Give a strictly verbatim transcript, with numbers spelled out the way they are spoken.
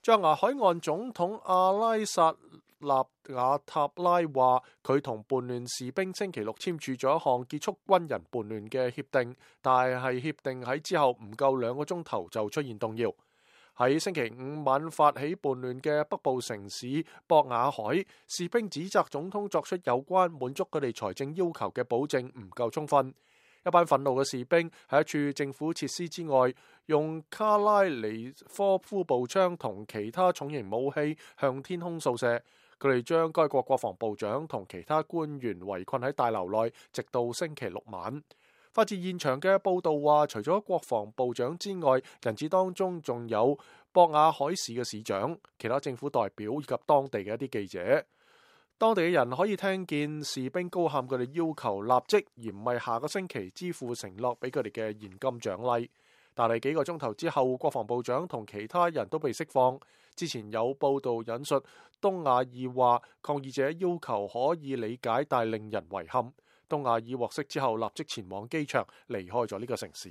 象牙海岸總統阿拉薩納瓦塔拉話，佢同叛亂士兵星期六簽署咗一項結束軍人叛亂嘅協定，但係協定喺之後唔夠兩個鐘頭就出現動搖。喺星期五晚發起叛亂嘅北部城市博雅海，士兵指責總統作出有關滿足佢哋財政要求嘅保證唔夠充分。一班憤怒嘅士兵喺一處政府設施之外，用卡拉尼科夫步槍同其他重型武器向天空掃射。佢哋將該國國防部長同其他官員圍困喺大樓內，直到星期六晚。發自現場嘅報道話，除咗國防部長之外，人質當中仲有博雅海市嘅市長、其他政府代表以及當地嘅一啲記者。當地嘅人可以聽見士兵高喊佢哋要求立即，而唔係下個星期支付承諾俾佢哋嘅現金獎勵。但係幾個鐘頭之後，國防部長同其他人都被釋放。之前有報道引述東亞爾話，抗議者要求可以理解，但令人遺憾。東亞爾獲釋之後，立即前往機場離開咗呢個城市。